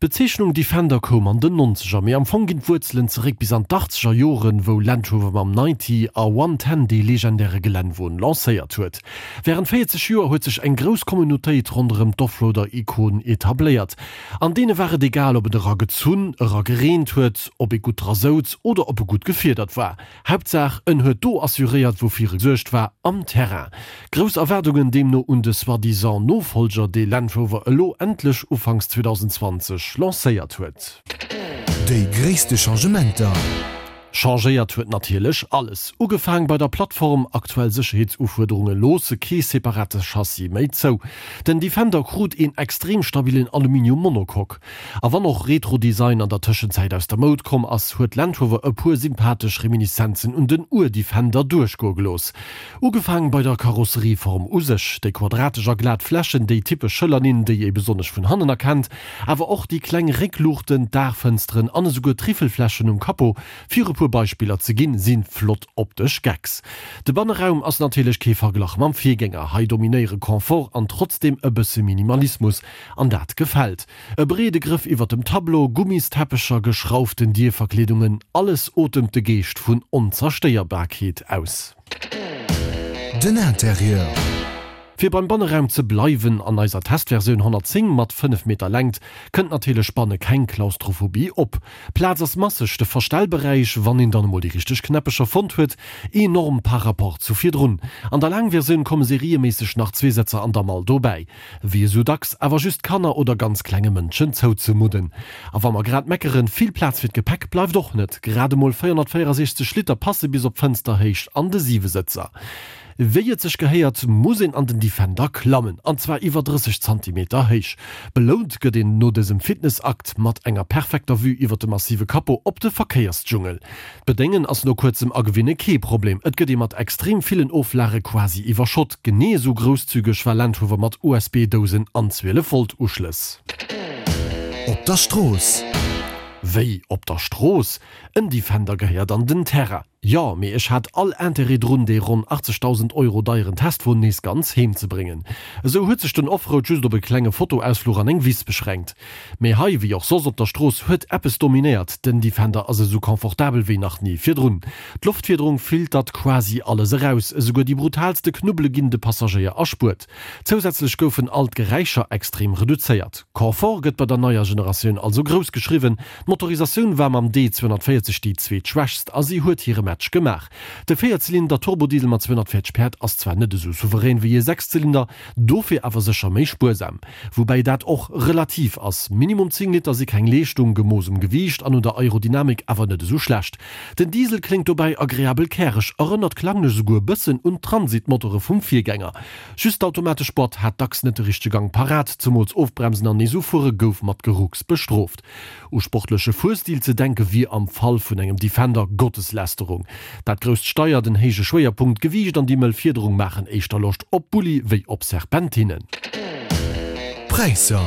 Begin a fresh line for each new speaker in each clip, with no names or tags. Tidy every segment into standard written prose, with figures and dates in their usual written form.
D'Bezeechnung Defender koum an den Nonzeger, mee am Fong ginn d'Wuerzelen zeréck bis an d'Achtzeger Joren, wou Land Rover mam 90 a 110 dee legendäre Gelännwon lancéiert huet. Wärend 40 Joer huet sech eng grouss Communautéit ronderëm d'Offroader-Ikon etabléiert. An deene war et egal, ob et era gezunn, era gereent huet, ob ee gutt dra souz oder ob e gutt gefiedert war. Haaptsaach en huet do assuréiert woufir e gesuergt war, am Terrain. Grouss Erwaardungen deemno un de soi-disant Nofolger, dee Land Rover elo endlech ufanks 2020 lancéiert huet.
Déi gréisste Changementer.
Changéiert huet natierlech alles. Ugefaang bei der Plattform, aktuell Sécherheetsufuerderunge loosse kee separate Chassis méi zou. Den Defender krut een extrem stabillen Aluminium-Monocoque. A wann och Retro-Design an der Tëschenzäit aus der Moud komm ass, huet Land Rover e puer sympathesch Reminiszenzen un den Ur-Defender duerchgoe gelooss. Ugefaang bei der Karosserieform u sech, déi quadratesch a glat Flächen, déi typesch Schëllerninn, déi ee besonnesch vun hannen erkennt, awer och déi kleng Réckluuchten, d'Daachfënsteren an esouguer d'Riffelflächen um Capot, fir e puer Beispiller ze ginn, si flott optesch Gags. De Banneraum ass natierlech kee Verglach mam Virgänger, hei dominéiere Confort an trotzdeem e bësse Minimalismus. An dat gefält. E breede Grëff iwwer dem Tableau, Gummisteppecher, geschrauften Dierverkleedungen, alles otemt de Geescht vun Onzerstéierbarkeet aus.
Den Interieur.
Fir beim Banneraum ze bleiwen, an eiser Testversioun 110 mat 5 Meter Längt kënnt natierlech banne keng Klaustrophobie op. Plaz ass masseg, de Verstellberäich, wann een dann emol déi richteg Knäppecher fonnt huet, enorm par rapport zu virdrun. An der Laangversioun komme serieméisseg nach zwee Sëtzer an der Mall dobäi. Wéi esou dacks, awer just Kanner oder ganz klenge Mënschen zouzemudden. A wa mer grad meckeren, vill Plaz fir d'Gepäck bleift och net, grad emol 464 Liter passe bis op Fënsterhéicht an de Siwesëtzer. Wéi et sech gehéiert, muss een an den Defender klammen, an zwar iwwer 30 Zantimeter héich. Belount gëtt een no dësem Fitnessakt mat enger perfekter Vue iwwer de massive Capot op de Verkéiersdschungel. D'Bedéngen ass no kuerzem Agewinne kee Problem, et gëtt ee mat extrem villen Oflage quasi iwwerschott. Genee esou grousszügeg war Land Rover mat USB-Dousen an 12 Volt Uschlëss.
Op der Strooss.
Wéi, op der Strooss? En Defender gehéiert an den Terrain. Jo, mee ech hat all Interêt drun, dee ronn 80.000 Euro deieren Testwon nees ganz heem ze bréngen. Esou huet sech den Offroad just op e klenge Fotoausfluch an eng Wiss beschränkt. Mee hei, wéi och soss op der Strooss, huet eppes dominéiert, Den Defender ass esou confortabel wéi nach ni virdrun. D'Loftfiederung filtert quasi alles eraus, esouguer déi brutaalste Knubbele ginn de Passagéier erspuert. Zousätzlech goufen all d'Geräischer extrem reduzéiert. Confort gëtt bei der neier Generatioun also grouss geschriwwen. D'Motorisatioun war mam D 240 déi zweetschwächst a si huet hire Match gemaach. De Véierzylinder Turbodiesel mat 240 Päerd ass zwar net esou souverän wéi e Sechszylinder, dofir awer sécher méi spuersam. Woubäi dat och relativ ass, Minimum 10 Liter si keng Leeschtung, gemooss um Gewiicht an un der Aerodynamik awer net esou schlecht. Den Diesel kléngt dobäi agreabel käreg, erënnert klanglech esouguer e bëssen un d'Transit-Motore vum Virgänger. Just d'automatesch Boîte hat dacks net de richtege Gang parat, zemools Ofbremsen an nees ufuere gouf mat Gerucks bestrooft. U sportleche Fuerstil ze denke wier am Fall vun engem Defender Gotteslästerung. Dat grousst Steier, den héije Schwéierpunkt, d'Gewiicht an déi mëll Fiederung maachen éischter Loscht op Bulli wéi op Serpentinen.
Präisser.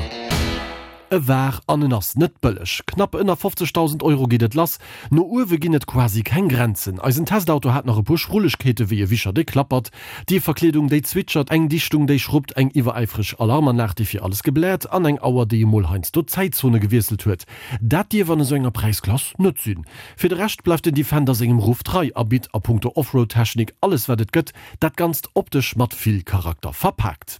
E war an en ass net bëlleg. Knapp ënner 50.000 Euro geet et lass. No uewe ginn et quasi keng Grenzen. Eisen Testauto hat nach e puer Schrullegkeete wéi e Wischer dee klappert, Dierverkleedung déi zwitschert, eng Dichtung déi schruppt, eng iwweräifreg Alarmanlag déi fir alles gebläert an eng Auer déi emol heiansdo d'Zäitzone gewiesselt huet. Dat dierf an esou enger Präisklass net sinn. Fir de Rescht bleift den Defender sengem Ruff trei a bitt a punkto Offroad-Technik alles wat et gëtt, dat Ganzt optesch mat vill Charakter verpaakt.